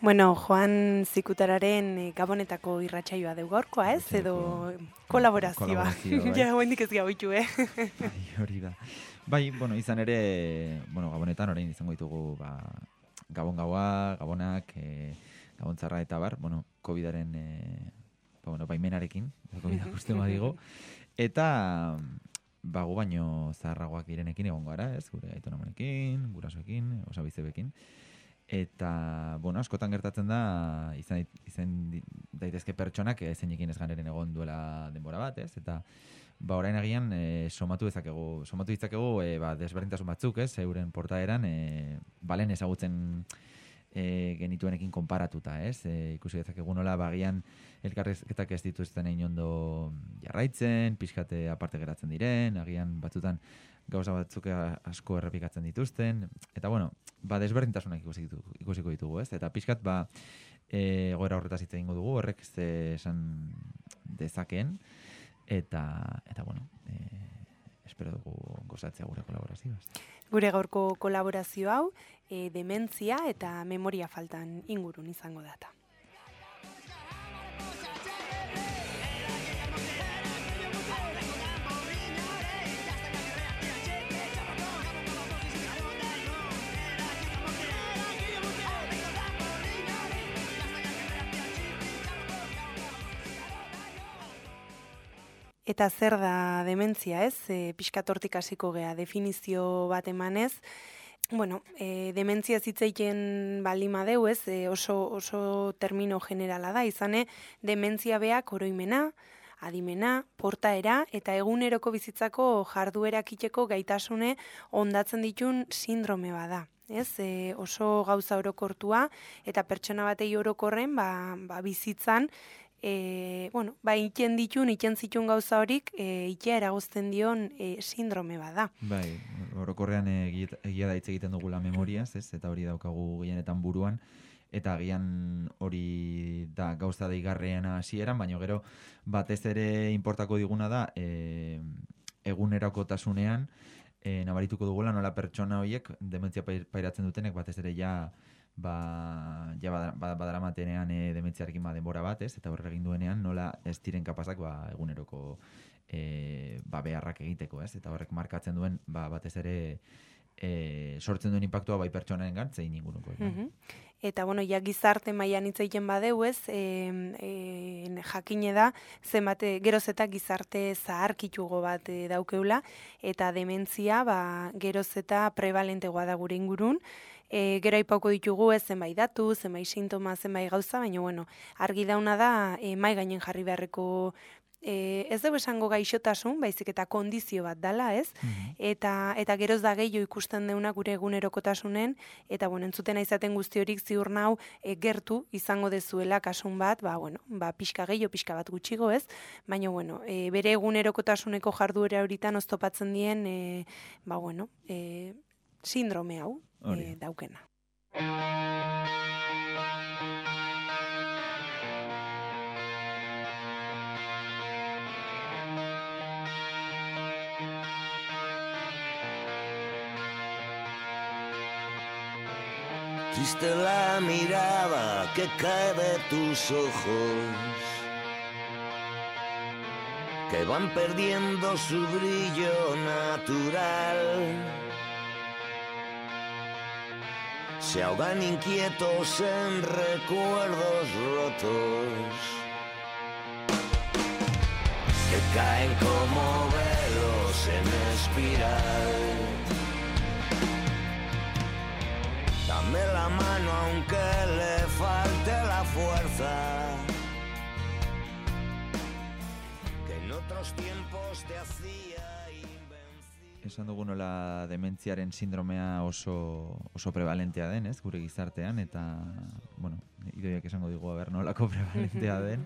Bueno, Joan Zikutararen Gabonetako irratsaioa deu gaurkoa, ez? Edo kolaborazioa. Ja, oraindik ez gauitu, Hori da. Bai, izan ere, Gabonetan orain izango ditugu, Gabon gaua, Gabonak, Gabon txarra eta bar, COVID-aren, baimenarekin, COVID-ak uste badigo, eta gu baino zaharragoak direnekin egongo gara, ez? Gure aitonamonekin, gurasoekin, osabizebekin. Eta, askotan gertatzen da, izan daitezke pertsonak zeinekin ez ganeren egon duela denbora bat, ez? Eta, orain agian somatu ditzakegu desberdintasun batzuk, ez? Euren portaeran, balen ezagutzen genituenekin konparatuta, ez? Ikusi dezakegu nola, bagian elkarrizketak ez dituzten egin ondo jarraitzen, pixkate aparte geratzen diren, agian batzutan gauza batzuk asko errepikatzen dituzten, eta desberdintasunak ikusiko ditugu, ez? Eta pixkat, egoera horretaz hitz egingo dugu, horrek esan dezakeen, eta espero dugu gozatzea gure kolaborazioaz. Gure gaurko kolaborazio hau, dementzia eta memoria faltan ingurun izango data. Eta zer da dementzia, ez? Pixkat hortik hasiko gea, definizio bat emanez. Dementzia zitzeiten balima deu, ez? Oso termino generala da, izane, dementzia beak oroimena, adimena, portaera eta eguneroko bizitzako jarduerak iteko gaitasune ondatzen ditun sindrome bada. Ez? Oso gauza orokortua eta pertsona batei orokorren bizitzan iten zitun gauza horik itea eragozten dion sindrome bada. Bai, orokorrean egia da hitz egiten dugula memoriaz, ez? Eta hori daukagu gehienetan buruan, eta agian hori da gauza deigarriena hasieran, baina gero batez ere inportako diguna da egunerakotasunean nabarituko dugula nola pertsona horiek dementzia pairatzen dutenek batez ere badaramatenean dementziarekin denbora bat, ez? Eta horre egin duenean nola ez diren kapazak eguneroko beharrak egiteko, ez? Eta horrek markatzen duen batez ere sortzen duen inpaktua bai pertsonaren zein inguruko. Eta, gizarte mailan hitz egiten badeu, ez? Jakine da, geroz eta gizarte zaharkitugo bat daukeula, eta dementzia geroz eta prevalentegoa da gure ingurun. Gero aipauko ditugu zenbait datu, zenbait sintoma, zenbait gauza, baina argi dauna da mai gainen jarri beharreko ez dugu esango gaixotasun, baizik eta kondizio bat dala, ez? Eta geroz da gehiago ikusten deuna gure egunerokotasunen, eta entzutena izaten guzti horik ziur nau gertu izango dezuela kasun bat, pixka gehiago, pixka bat gutxigo, ez? Baina, bere egunerokotasuneko jarduera horitan oztopatzen dien, sindrome hau daukena. Triste la mirada que cae de tus ojos, que van perdiendo su brillo natural. Se ahogan inquietos en recuerdos rotos, que caen como velos en espiral. Dame la mano aunque le falte la fuerza, que en otros tiempos te hacía invencible. Esan dugu nola dementziaren sindromea oso prevalentea den, ez? Gure gizartean, eta, Idoiak esango digu nolako prevalentea den.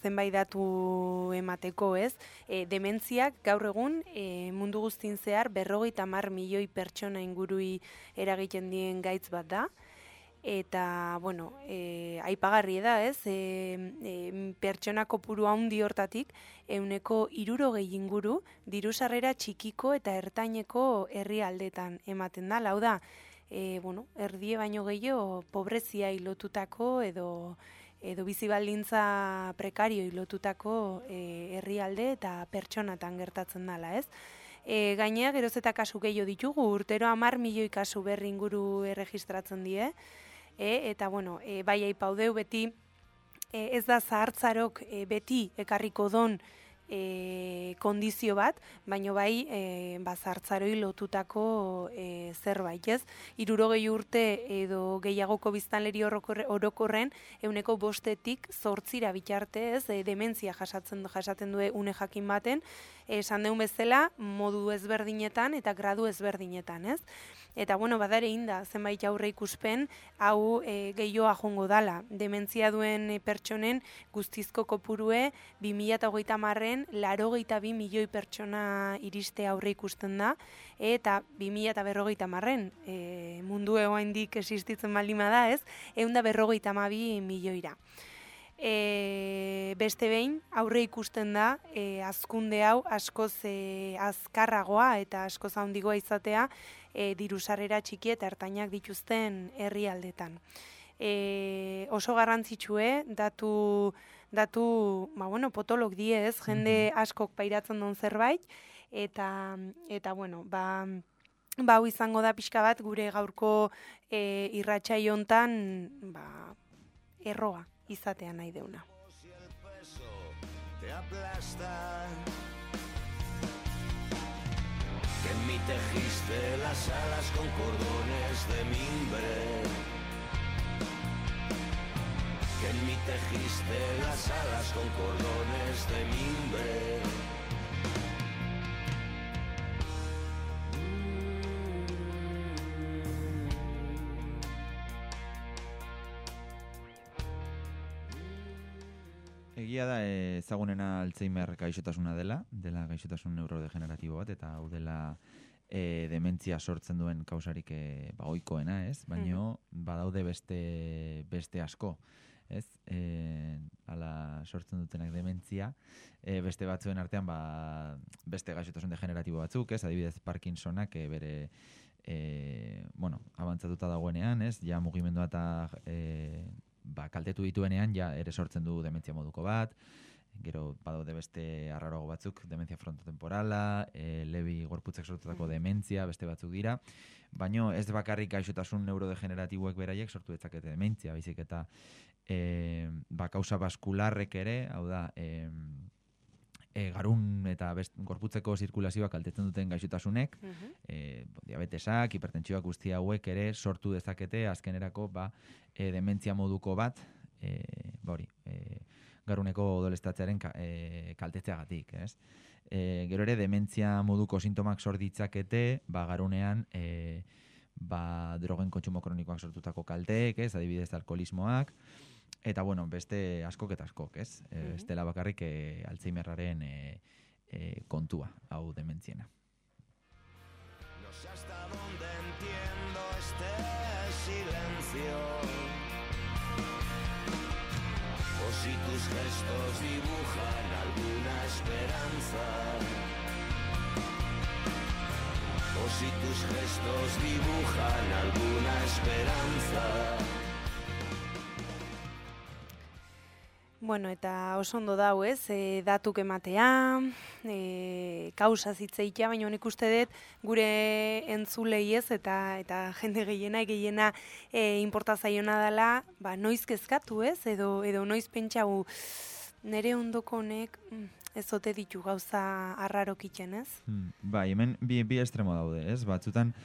Zenbait datu emateko, ez? Dementziak gaur egun mundu guztin zehar 50 milioi pertsona ingurui eragiten dien gaitz bat da. Eta, aipagarri da, ez? Pertsona kopuru handi hortatik, 60 inguru diru sarrera txikiko eta ertaineko herrialdetan ematen da. Hau da, erdie baino gehiago pobrezia lotutako edo bizi baldintza prekario lotutako herrialde eta pertsonatan gertatzen dela, ez? Gainea, geroz eta kasu gehiago ditugu, urtero 10 milioi kasu berri inguru erregistratzen die, eta bai aipaudeu beti, ez da zahartzarok beti ekarriko don kondizio bat, baino bai zahartzaroi lotutako zerbait, ez? 60 urte edo gehiagoko biztanleri orokorren 5%-8% bitarte, ez? Dementzia jasaten du une jakin baten, esan deun bezala modu ezberdinetan eta gradu ezberdinetan, ez? Eta badare inda zenbait aurre ikuspen hau gehioa jongo dala. Dementzia duen pertsonen guztizko kopurue 2030 82 milioi pertsona iriste aurre ikusten da, eta 2050 mundu oraindik existitzen baldin bada, ez? 152 milioira. Beste behin aurre ikusten da hazkunde hau askoz azkarragoa eta askoz handigoa izatea diru sarrera txiki eta ertainak dituzten herrialdetan. Oso garrantzitsue datu potolok die, ez, jende askok pairatzen duen zerbait, eta hau izango da pixka bat gure gaurko irratsai hontan erroa izatea nahi deuna. Que en mí tejiste las alas con cordones de mimbre. Que en mí tejiste las alas con cordones de mimbre. Egia da ezagunena Alzheimer gaixotasuna dela gaixotasun neurodegeneratibo bat, eta hau dela dementzia sortzen duen kausarik ohikoena, ez? Baino badaude beste asko, ez? Hala sortzen dutenak dementzia, beste batzuen artean beste gaixotasun degeneratibo batzuk, ez? Adibidez Parkinsonak bere abantzatuta dagoenean, ez? Ja mugimendua eta kaltetu dituenean ja ere sortzen du dementzia moduko bat. Gero badaude beste arraroago batzuk, dementzia frontotemporala, Lewy gorputzek sortutako dementzia, beste batzuk dira. Baino ez bakarrik gaixotasun neurodegeneratiboek beraiek sortu dezakete dementzia, baizik eta kausa baskularrek ere, hau da, garun eta gorputzeko zirkulazioa kaltetzen duten gaixotasunek, diabetesak, hipertentsioak guzti hauek ere sortu dezakete azkenerako dementzia moduko bat, garuneko odoleztatzearen kaltetzeagatik, ez? Gero ere dementzia moduko sintomak sort ditzakete, garunean drogen kontsumo kronikoak sortutako kalteek, ez? Adibidez alkoholismoak, eta beste askok eta askok, ez? Ez dela bakarrik Alzheimerraren kontua, hau dementziena. No sé hasta dónde entiendo este silencio, o si tus gestos dibujan alguna esperanza, o si tus gestos dibujan alguna esperanza. Eta oso ondo dau, ez, datuk ematea, kausa zitzeitea, baina nik uste dut gure entzulei, ez, eta jende gehiena inporta zaiona dela, noiz kezkatu, ez, edo noiz pentsau nere ondoko honek ez ote ditu gauza arrarok iten, ez? Hemen bi estremo daude, ez, batzutan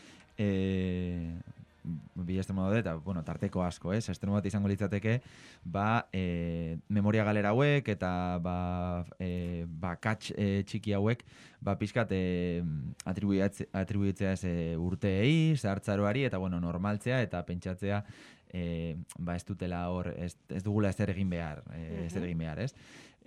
bi estremo daude, eta, tarteko asko, ez? Estremo bat izango litzateke, memoria galera hauek, eta kats txiki hauek, pixkat atribuitzea urteei, zahartzaroari, eta, normaltzea, eta pentsatzea, ez dutela hor, ez dugula ezer egin behar, ez?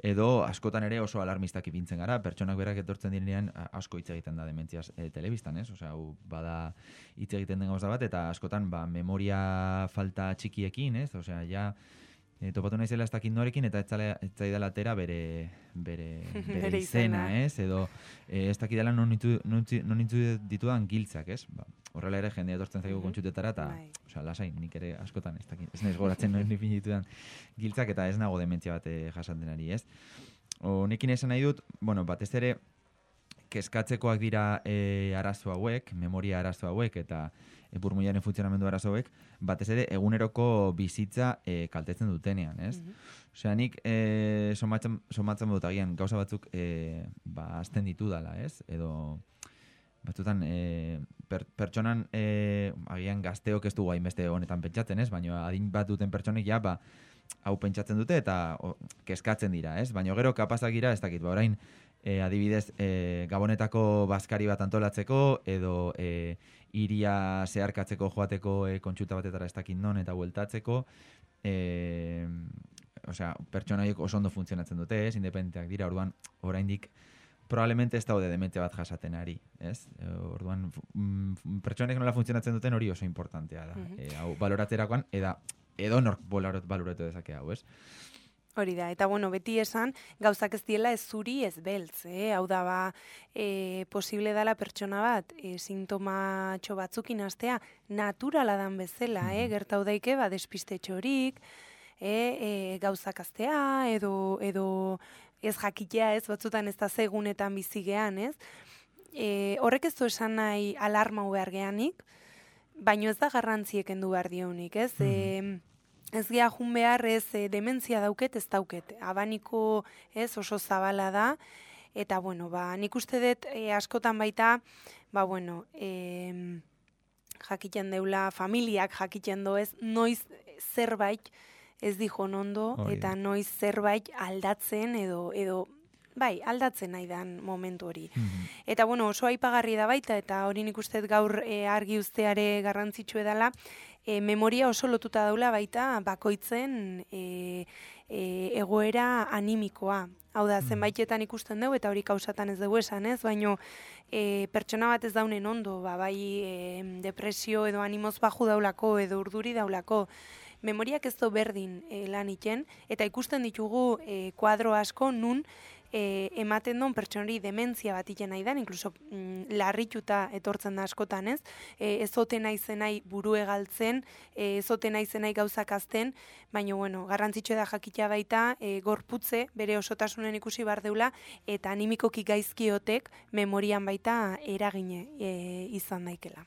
Edo askotan ere oso alarmistak ipintzen gara, pertsonak berak etortzen direnean asko hitz egiten da dementziaz telebistan, ez? Osea, hau bada hitz egiten den gauza bat, eta askotan memoria falta txikiekin, ez? Osea, ja topatu naizela ez dakit norekin, eta ez zaidala atera bere izena, ez? Edo ez dakidala non nintzu ditudan giltzak, ez? horrela ere jendea etortzen zaigu kontsultetara, eta osea, lasai, nik ere askotan ez naiz goratzen noen definituan giltzak, eta ez nago dementzia bat jasaten ari, ez? Honekin esan nahi dut, bueno, batez ere, kezkatzekoak dira arazo hauek, memoria arazo hauek, eta burmuinaren funtzionamendu arazo hauek, batez ere eguneroko bizitza kaltetzen dutenean, ez? Osea, nik somatzen dut agian gauza batzuk azten ditu dala, ez? Edo batzutan pertsonan agian gazteok ez dugu hainbeste honetan pentsatzen, ez? Baina adin bat duten pertsonek ja, hau pentsatzen dute eta kezkatzen dira, ez? Baina gero kapazak dira, ez dakit, orain adibidez, Gabonetako bazkari bat antolatzeko, edo iria zeharkatzeko joateko kontsulta batetara ez dakit non eta bueltatzeko, osea, pertsona horiek oso ondo funtzionatzen dute, ez? Independenteak dira, orduan, oraindik probablemente ez daude dementzia bat jasaten ari, ez? Orduan, pertsonek nola funtzionatzen duten hori oso importantea da. Hau baloratzerakoan, edo nork baloratu dezake hau, ez? Hori da, eta bueno, beti esan, gauzak ez diela ez zuri ez beltz, hau da posible dela pertsona bat, sintomatxo batzukin astea, naturala dan bezala, gertau daike, despiste txorik, gauzak astea, edo ez jakitea, ez batzutan ez da segunetan bizigean, ez? Horrek ez du esan nahi alarma behar geanik, baino ez da garrantzieken du behar dionik, ez? Ez gea jun behar ez dementzia dauket, ez dauket. Abaniko ez oso zabala da, eta bueno, nik uste dut askotan baita, jakiten deula, familiak jakiten do ez, noiz zerbait ez dijon ondo, eta noiz zerbait aldatzen edo aldatzen nahi dan momentu hori. Eta bueno, oso aipagarri da baita, eta hori nik uste gaur argi usteare garrantzitsu edala, memoria oso lotuta daula baita bakoitzen egoera animikoa. Hau da, zenbaitetan ikusten dugu, eta hori kausatan ez dugu esan, ez? Baina pertsona bat ez daunen ondo, depresio edo animoz baju daulako, edo urduri daulako. Memoriak ez du berdin lan iten, eta ikusten ditugu kuadro asko nun ematen duen pertsonari dementzia bat iten nahi dan, inkluso larrituta etortzen da askotan, ez? Ezote nahi buru egaltzen, ezote nahi gauzak azten, baina, bueno, garrantzitsu da jakitea baita, gorputze, bere osotasunen ikusi bar deula, eta animikoki gaizkiotek memorian baita eragine izan daikela.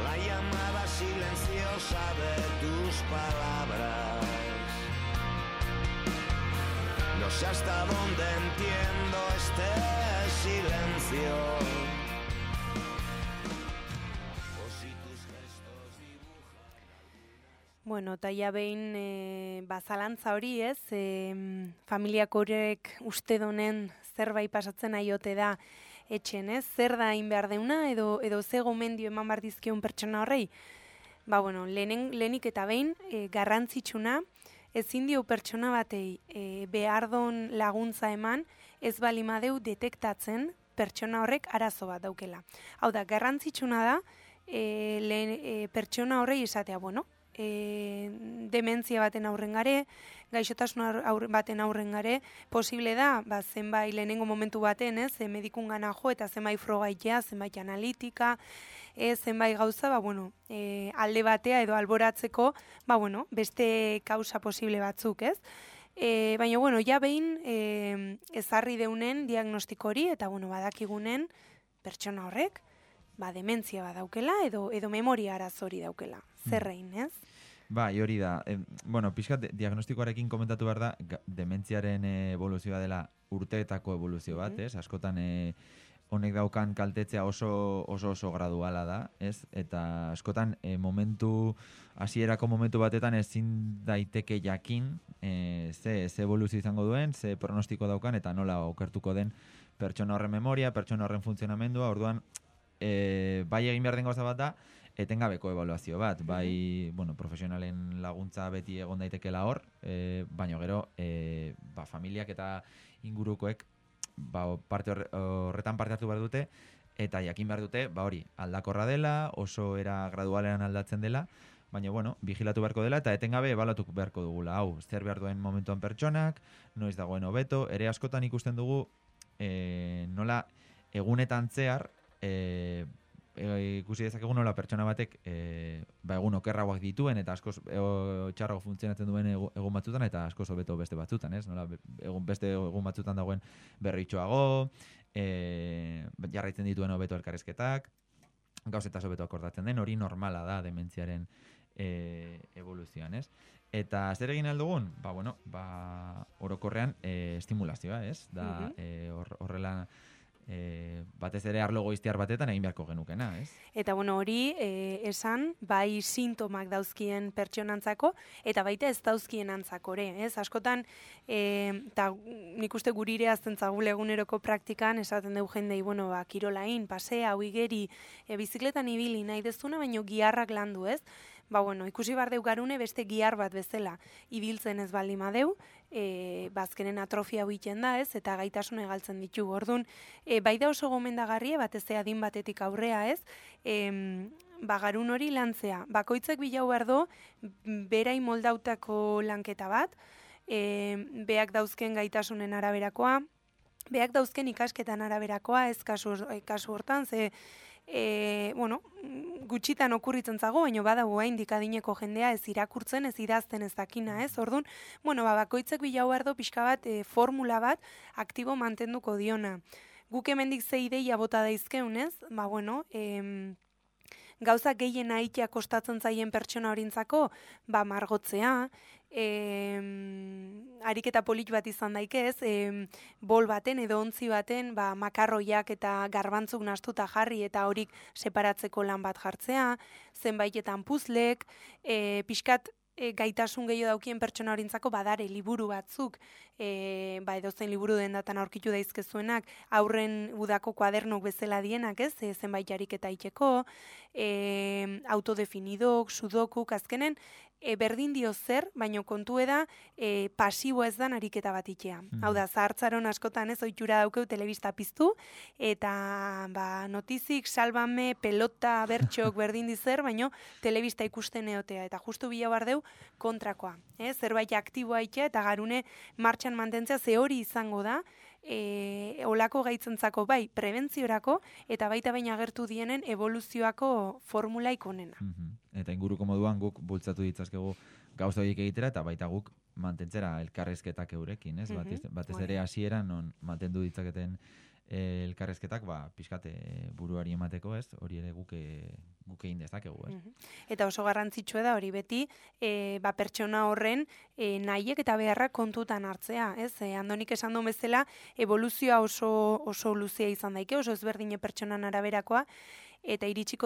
La llamada silenciosa de tus palabras. No sé hasta dónde entiendo este silencio. O si tus gestos dibujan. Bueno, eta ja behin bazalantza hori ez, familiak horrek uste donen zerbait pasatzen aiote da, etxen, ez? Zer da hain behar deuna, edo ze gomendio eman behar dizkion pertsona horrei? Lehenik eta behin, garrantzitsuna, ezin dio pertsona batei behar don laguntza eman, ez balimadeu detektatzen pertsona horrek arazo bat daukela. Hau da, garrantzitsuna da, pertsona horrei esatea, dementzia baten aurren gare, gaixotasun baten aurren gare, posible da, zenbait lehenengo momentu baten, medikun gana jo, eta zenbait frogaitea, zenbait analitika, zenbait gauza, alde batea edo alboratzeko, beste kausa posible batzuk, ez? Baina, ja behin ezarri deunen diagnostiko hori, eta, badakigunen pertsona horrek, dementzia badaukela edo memoria arazori daukela. Zerrein, ez? Hori da. Pixkat diagnostikoarekin komentatu behar da, dementziaren evoluzioa dela urteetako evoluzio bat, ez? Askotan honek daukan kaltetzea oso graduala da, ez? Eta askotan hasierako momentu batetan ezin daiteke jakin ze evoluzio izango duen, ze pronostiko daukan, eta nola okertuko den pertsona horren memoria, pertsona horren funtzionamendua, orduan bai egin behar den gauza bat da, etengabeko ebaluazio bat, profesionalen laguntza beti egon daitekela hor, baina gero, familiak eta ingurukoek horretan parte hartu behar dute, eta jakin behar dute, aldakorra dela, oso era gradualean aldatzen dela, baina, bueno, vigilatu beharko dela eta etengabe ebalatu beharko dugula. Hau, zer behar duen momentuan pertsonak, noiz dagoen hobeto, ere askotan ikusten dugu nola egunetan zehar, ikusi dezakegu nola pertsona batek egun okerragoak dituen eta askoz txarrago funtzionatzen duen egun batzutan eta askoz hobeto beste batzutan, ez? Nola beste egun batzutan dagoen berritxoago, jarraitzen dituen hobeto elkarrizketak, gauzetaz hobeto akordatzen den, hori normala da dementziaren evoluzioan, ez? Eta zer egin aldugun? Orokorrean estimulazioa, ez? Da, horrela batez ere arlo goiztiar batetan egin beharko genukena, ez? Eta hori esan, bai sintomak dauzkien pertsonantzako, eta baita ez dauzkien antzakore, ez? Askotan, eta nik uste gurire azten zagule eguneroko praktikan, esaten dugu jendei, kirolain, pasea, huigeri, bizikletan ibili nahi dezuna, baino giharrak landu, ez? Ikusi bar deu garune beste gihar bat bezala ibiltzen ez baldin madeu, bazkenen atrofia huiten da, ez? Eta gaitasun egaltzen ditu. Orduan, bai da oso gomendagarria, batez adin batetik aurrea, ez? Garun hori lantzea. Bakoitzak bilau bardo, berai moldautako lanketa bat, beak dauzken gaitasunen araberakoa, beak dauzken ikasketan araberakoa, ez kasu hortan, ze gutxitan okurritzen zago, baina badago haindik adineko jendea ez irakurtzen, ez idazten ez dakina, ez? Orduan, bakoitzak bilau ardo pixka bat, formula bat, aktibo mantenduko diona. Guk hemendik ze ideia bota daizkeun, ez? Gauza gehien aitea kostatzen zaien pertsona horintzako, margotzea, ariketa polit bat izan daikez, bol baten edo ontzi baten makarroiak eta garbantzuk nastuta jarri eta horik separatzeko lan bat jartzea, zenbaitetan puzlek, pixkat gaitasun gehiago daukien pertsona horintzako badare liburu batzuk, edozein liburu dendatan aurkitu daizkezuenak, aurren udako kuadernok bezala dienak, ez? Zenbait ariketa iteko, autodefinidok, sudokuk, azkenen, berdin dio zer, baino kontu da pasibo ez dan ariketa bat itea. Hau da, zahartzaron askotan ez ohitura daukeu telebista piztu, eta notizik, salbame, pelota, bertxok berdin di zer, baino telebista ikusten eotea. Eta justu bila bardeu kontrakoa. Zerbait aktiboa itea eta garune martxan mantentzea ze hori izango da, olako gaitzentzako bai prebentziorako eta baita baina agertu dienen evoluzioako formula ikonena. Eta inguruko moduan guk bultzatu ditzazkegu gauza horiek egitera eta baita guk mantentzera elkarrezketak eurekin, ez? Batez ere hasieran non mantendu ditzaketen elkarrezketak, pixkate buruari emateko, ez? Hori ere guk egin dezakegu, ez? Eta oso garrantzitsua da hori beti, pertsona horren nahiek eta beharrak kontutan hartzea, ez? Andonik esan duen bezala, evoluzioa oso luzea izan daike, oso ezberdine pertsonan araberakoa, eta iritsi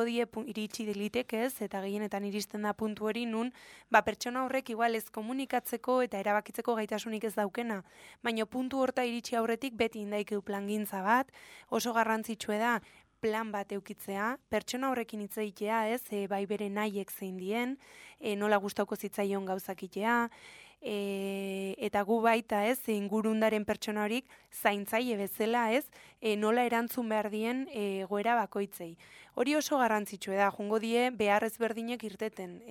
dilitek ez, eta gehienetan iristen da puntu hori nun, pertsona horrek igual ez komunikatzeko eta erabakitzeko gaitasunik ez daukena, baina puntu horta iritsi aurretik beti indaikeu plangintza bat, oso garrantzitsua da plan bat eukitzea, pertsona horrekin hitz egitea, ez, bai bere nahiek zein dien, nola gustauko zitzaion gauzakitea, eta gu baita, ez, ingurundaren pertsona horik zaintzaile bezala, ez, nola erantzun behar dien goera bakoitzei. Hori oso garrantzitsua da, jungo die behar ezberdinek irteten.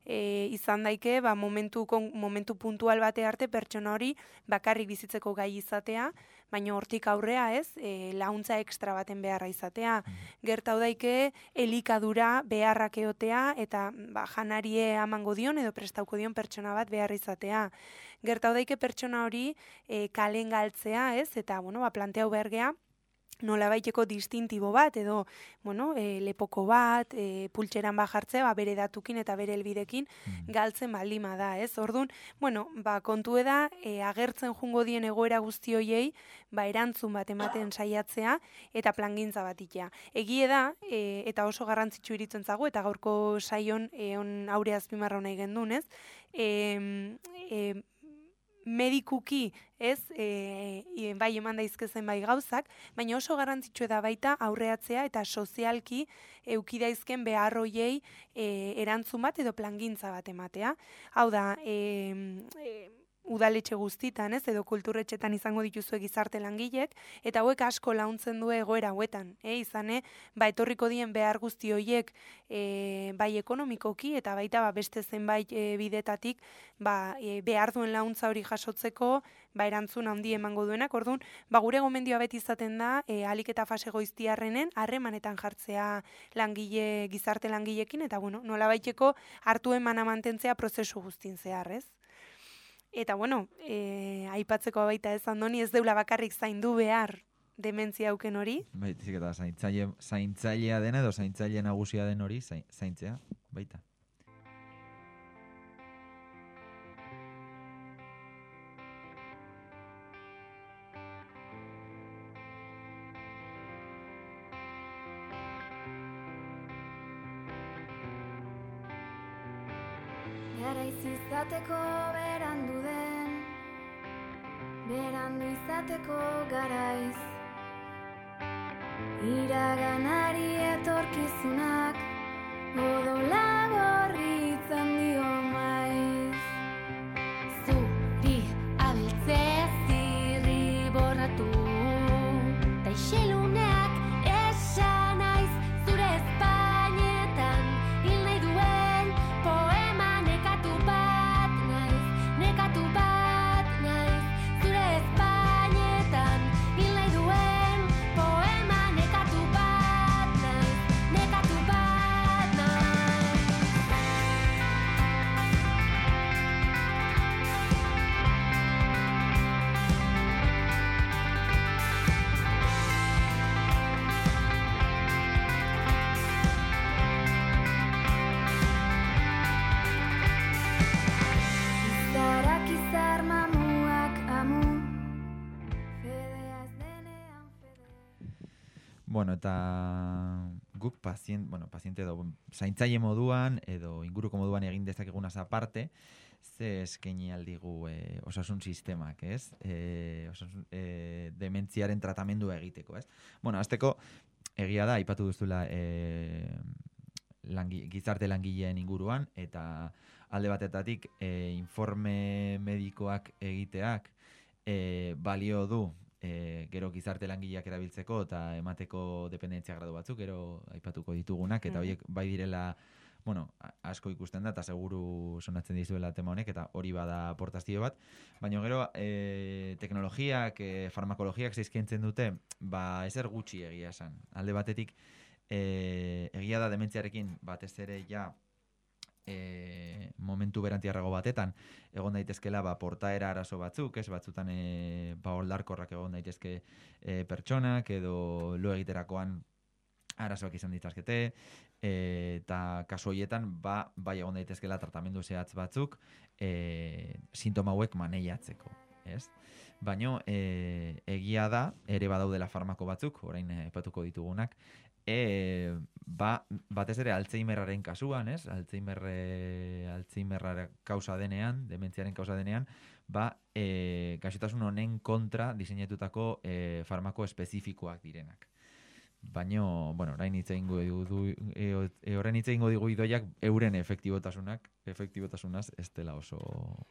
Izan daike, momentu puntual bate arte pertsona hori bakarrik bizitzeko gai izatea, baina hortik aurrea, ez, laguntza ekstra baten beharra izatea. Gertau daike elikadura beharrak eotea eta janarie amango dion edo prestauko dion pertsona bat beharra izatea. Gertau daike pertsona hori kalen galtzea, ez, eta planteau behar gea, nola baiteko distintibo bat, edo, lepoko bat, pultxeran jartzea, bere datukin eta bere helbidekin galtzen baldima da, ez? Orduan, kontu da, agertzen jungo dien egoera guzti hoiei, erantzun bat ematen saiatzea, eta plangintza bat itea. Egie da, eta oso garrantzitsu iritzen zago, eta gaurko saion aure azpimarra nahi gendun, ez? Medikuki, ez, bai eman daizkezen bai gauzak, baina oso garrantzitsua da baita aurreatzea eta sozialki eukidaizken beharroiei erantzun bat edo plangintza bat ematea. Hau da, udaletxe guztitan, ez, edo kulturretxetan izango dituzue gizarte langilek, eta hauek asko launtzen du egoera hauetan, izane, etorriko dien behar guzti horiek bai ekonomikoki, eta baita beste zenbait bidetatik behar duen launtza hori jasotzeko, erantzun handi emango duenak, orduan, gure gomendioa beti izaten da, ahalik eta fase goiztiarrenen, harremanetan jartzea gizarte langilekin, eta nola baiteko hartu emana mantentzea prozesu guztin zehar, ez? Eta, aipatzeko baita ez Andoni, ez deula bakarrik zaindu behar dementzia auken hori. Baizik eta zaintzailea dena edo zaintzaile nagusia den hori zaintzea, baita. Garaiz izateko berandu den, berandu izateko garaiz. Iraganari etorkizunak, odola gorritzen dio maiz. Zuri abiltze zirri borratu, ta iseluneak esan naiz, zure espainetan hil nahi duen poema nekatu bat naiz, zure espainetan hil nahi duen poema nekatu bat naiz. Izarak izar mamuak amu, fedea ez denean fede. Bueno, eta guk paziente edo zaintzaile moduan edo inguruko moduan egin dezakegunaz aparte, ze eskaini aldigu osasun sistemak, ez? Dementziaren tratamendua egiteko, ez? Bueno, hasteko egia da, aipatu duzula gizarte langileen inguruan, eta alde batetatik informe medikoak egiteak balio du gero gizarte langileak erabiltzeko eta emateko dependentzia gradu batzuk, gero aipatuko ditugunak, eta horiek bai direla, asko ikusten da, eta seguru sonatzen dizuela tema honek, eta hori bada aportazio bat, baina gero teknologiak, farmakologiak zeizkentzen dute, ezer gutxi egia esan. Alde batetik, egia da dementziarekin batez ere ja momentu berantiarrago batetan egon daitezkela portaera arazo batzuk, ez batzutan oldarkorrak egon daitezke pertsonak edo lo egiterakoan arazoak izan ditzakete, eta kasu horietan bai egon daitezkela tratamendu zehatz batzuk sintoma hauek maneiatzeko, ez? Baina egia da, ere badaudela farmako batzuk, orain aipatuko ditugunak, batez ere Alzheimerraren kasuan, ez? Alzheimerra kausa denean, dementziaren kausa denean, gaixotasun honen kontra diseinatutako farmako espezifikoak direnak. Baina, orain hitz egingo digu idoiak euren efektibotasunaz ez dela oso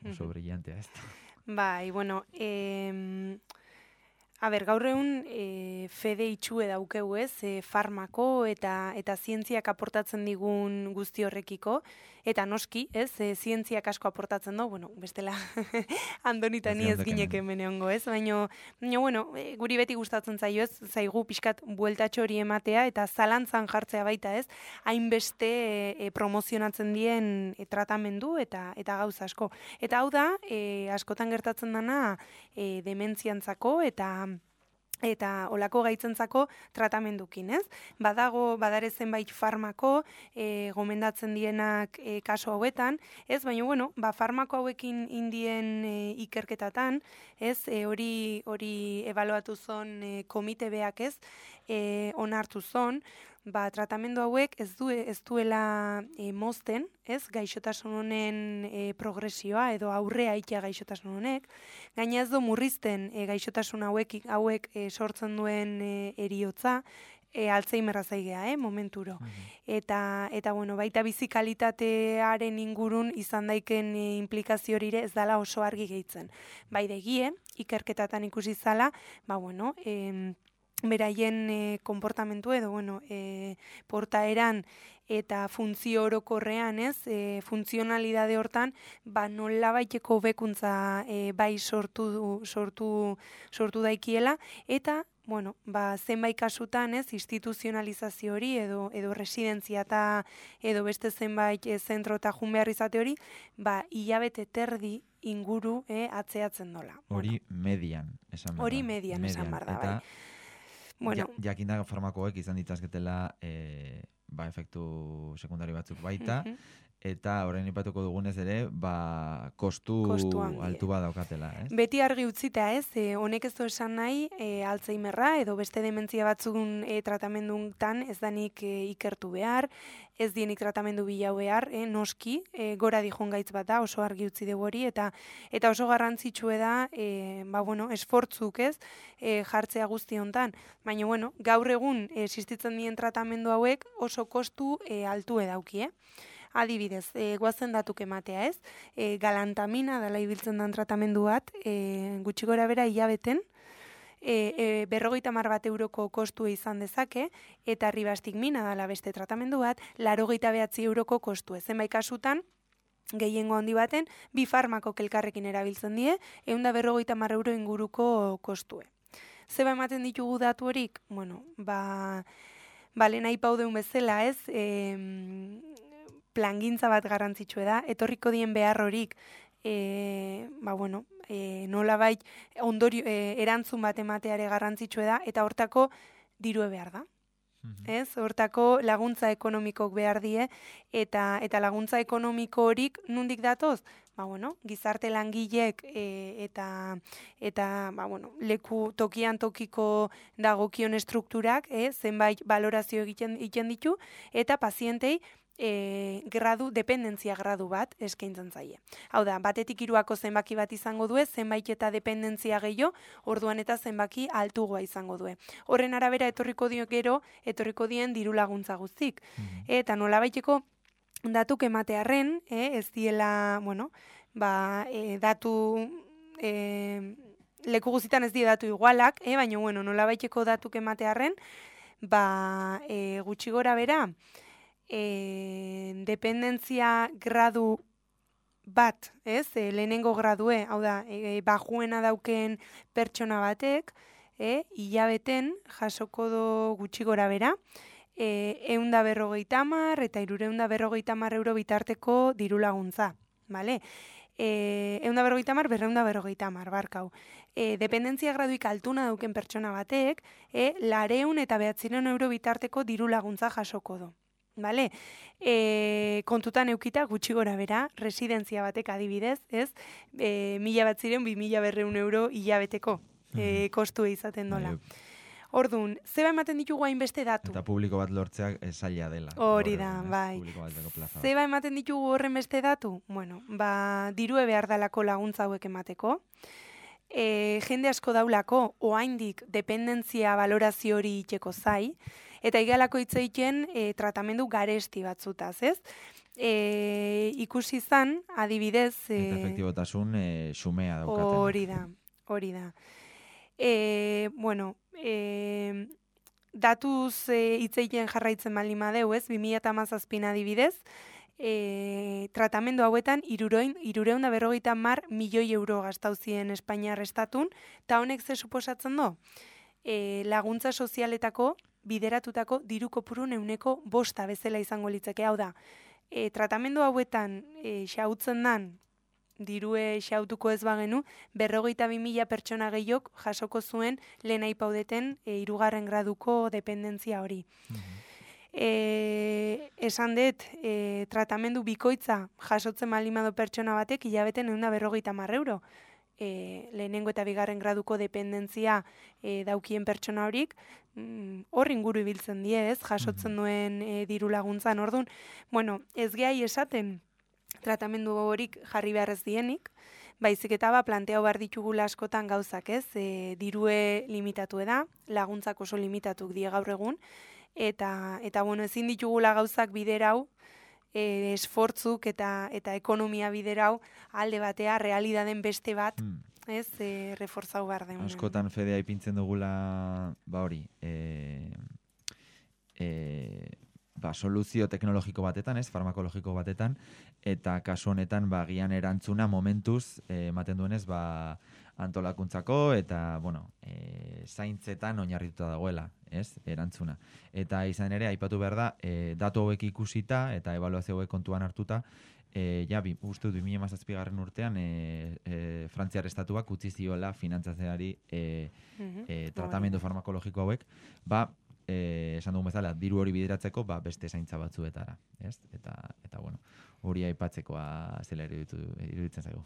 brillantea, ez da. Bai, gaur egun fede itxue daukegu ez, farmako eta zientziak aportatzen digun guzti horrekiko, eta noski, ez, zientziak asko aportatzen du, bestela Andonita ni ez ginek hemen egongo, ez, baina, guri beti gustatzen zaio ez, zaigu pixkat bueltatxo hori ematea, eta zalantzan jartzea baita ez, hainbeste promozionatzen dien tratamendu eta gauza asko. Eta hau da, askotan gertatzen dana dementziantzako eta olako gaitzentzako tratamendukin, ez? Badare zenbait farmako gomendatzen dienak kaso hauetan, ez? Baina, farmako hauekin indien ikerketatan, ez? Hori ebaluatu zon komite beak, ez? Onartu zon, tratamendu hauek ez duela mozten, ez, gaixotasun honen progresioa edo aurrea itea gaixotasun honek, gaina ez du murrizten gaixotasun hauek sortzen duen eriotza, Alzheimerra zaigea, momenturo. Eta bueno, baita bizikalitatearen ingurun izan daiken implikazio hori ere ez dala oso argi gehitzen. Bai degie, ikerketatan ikusi zala, bueno, beraien konportamentu edo, portaeran eta funtzio orokorrean, funtzionalidade hortan, nolabaiteko hobekuntza bai sortu daikiela, eta zenbait kasutan, instituzionalizazio hori edo residentzia eta edo beste zenbait zentro eta jun behar izate hori, hilabete terdi inguru atzeatzen dola. Hori median, esan behar da. Hori median, esan behar da, bai. Bueno, jakinda farmakoek izan ditazketela efektu sekundari batzuk baita, eta orain ipatuko dugunez ere, kostu altu bat daukatela, ez? Beti argi utzita, ez? Honek ez du esan nahi, Alzheimerra edo beste dementzia batzun tratamenduntan ez danik ikertu behar, ez dienik tratamendu bilau behar, noski, gora dijon gaitz bat da, oso argi utzi dugu hori, eta oso garrantzitsue da, esfortzuk, ez? Jartzea guzti hontan. Baina, gaur egun existitzen dien tratamendu hauek oso kostu altu edauki, Adibidez, guazen datuk ematea, ez? Galantamina dela ibiltzen den tratamendu bat, gutxi gora bera hilabeten, 50 bat euroko kostu izan dezake, eta ribastigmina dela beste tratamendu bat, 89 euroko kostu. Zenbait kasutan, gehiengo handi baten, bi farmakok elkarrekin erabiltzen die, 150 euro inguruko kostue. Zeba ematen ditugu datu horik? Lehen aipauden bezala, ez? Plangintza bat garrantzitsue da, etorriko dien behar horik, nolabait ondorio erantzun bat emateare garrantzitsue da, eta hortako dirue behar da. Ez? Hortako laguntza ekonomikok behar die, eta laguntza ekonomiko horik nundik datoz? Gizarte langilek eta leku tokian tokiko dagokion strukturak, zenbait valorazio egiten ditu, eta pazientei dependentzia gradu bat eskaintzen zaie. Hau da, batetik 3ako zenbaki bat izango due, zenbait eta dependentzia gehiago, orduan eta zenbaki altugoa izango due. Horren arabera etorriko dien diru laguntza guztik. Eta nolabaiteko datuk ematearren, ez diela, datu leku guztietan ez die datu igualak, baina nolabaiteko datuk ematearren, gutxi gora bera, dependentzia gradu bat, lehenengo gradue, hau da, bajuena dauken pertsona batek, hilabeten jasoko do gutxi gora bera, 150 eta 350 euro bitarteko diru laguntza, bale? 150, 250, barkau. Dependentzia graduik altuna dauken pertsona batek, 200 eta 900 euro bitarteko diru laguntza jasoko do. Vale? Kontutan eukita gutxi gora bera, residentzia batek adibidez, ez? 1.200 euro hilabeteko kostu izaten dola. Orduan, zeba ematen ditugu hainbeste datu? Eta publiko bat lortzeak zaila dela. Hori da, bai. Zeba ematen ditugu horren beste datu? Dirue behar dalako laguntza hauek emateko. Jende asko daulako, oaindik dependentzia valorazio hori itxeko zai, eta igalako hitzeiten tratamendu garesti batzutaz, ez? Ikusi zan, adibidez... Eta efektibotasun xumea daukaten. Hori da. Datuz hitzeiten jarraitzen baldin madeu, ez? 2017 adibidez, tratamendu hauetan 350 milioi euro gastauzien Espainiar estatun, eta honek ze suposatzen do? Laguntza sozialetako bideratutako diru kopurun 5% bezala izango litzake. Hau da, tratamendu hauetan xautzen dan, dirue xautuko ez bagenu, 42.000 pertsona gehiok jasoko zuen lehen aipaudeten 3. graduko dependentzia hori. Esan dut, tratamendu bikoitza jasotzen malimado pertsona batek hilabeten 150 euro. Lehenengo eta 2. graduko dependentzia daukien pertsona horik, hor inguru ibiltzen die, ez, jasotzen duen diru laguntzan. Orduan, ez gehi esaten tratamendu horik jarri behar ez dienik, baizik eta planteau behar ditugula askotan gauzak, ez? Dirue limitatu da, laguntzak oso limitatuk die gaur egun, eta bueno, ezin ditugula gauzak biderau, esfortzuk eta ekonomia biderau alde batea, realidaden beste bat, ez, reforzau behar den. Askotan fedea ipintzen dugula, hori, soluzio teknologiko batetan, ez, farmakologiko batetan, eta kasu honetan, gian erantzuna momentuz, ematen duenez, antolakuntzako, eta, zaintzetan oinarrituta dagoela, ez, erantzuna. Eta izan ere, aipatu behar da, datu hauek ikusita, eta ebaluazio hauek kontuan hartuta, uste dut 2017 urtean Frantziar estatuak utzi ziola finantzatzeari tratamendu farmakologiko hauek, esan dugun bezala, diru hori bideratzeko beste zaintza batzuetara, ez? Eta bueno, hori aipatzekoa zela iruditzen zaigu.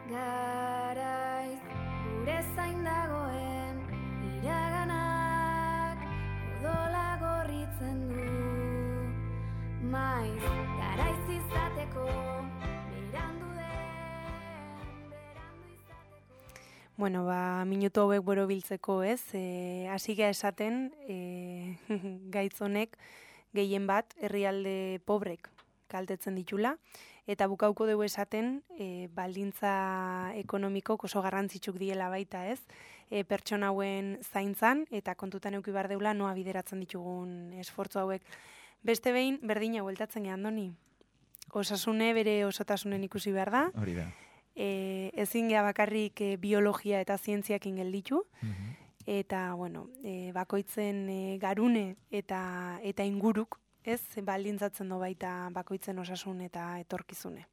Garaiz gure zain dagoen iraganak odola gorritzen du maiz garaiz izateko berandu izateko. Bueno, minutu hauek borobiltzeko, ez? Hasiga esaten gaitz honek gehien bat herrialde pobrek kaltetzen ditula, eta bukauko dugu esaten baldintza ekonomiko oso garrantzitsuk diela baita, ez? Pertsona hauen zaintzan, eta kontutan eduki behar deula noa bideratzen ditugun esfortzu hauek. Beste behin, berdina bueltatzen gehan doni. Osasune bere osotasunen ikusi behar da. Hori da. Ezin geha bakarrik biologia eta zientziakin gelditu, eta, bueno, bakoitzen garune eta inguruk, ez, baldintzatzen do baita bakoitzen osasun eta etorkizune.